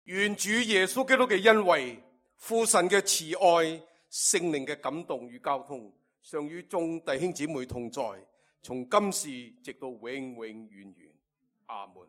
願主耶穌基督嘅恩惠、父神嘅慈愛、聖靈嘅感動與交通，常與眾弟兄姊妹同在，從今時直到永永遠遠。阿門。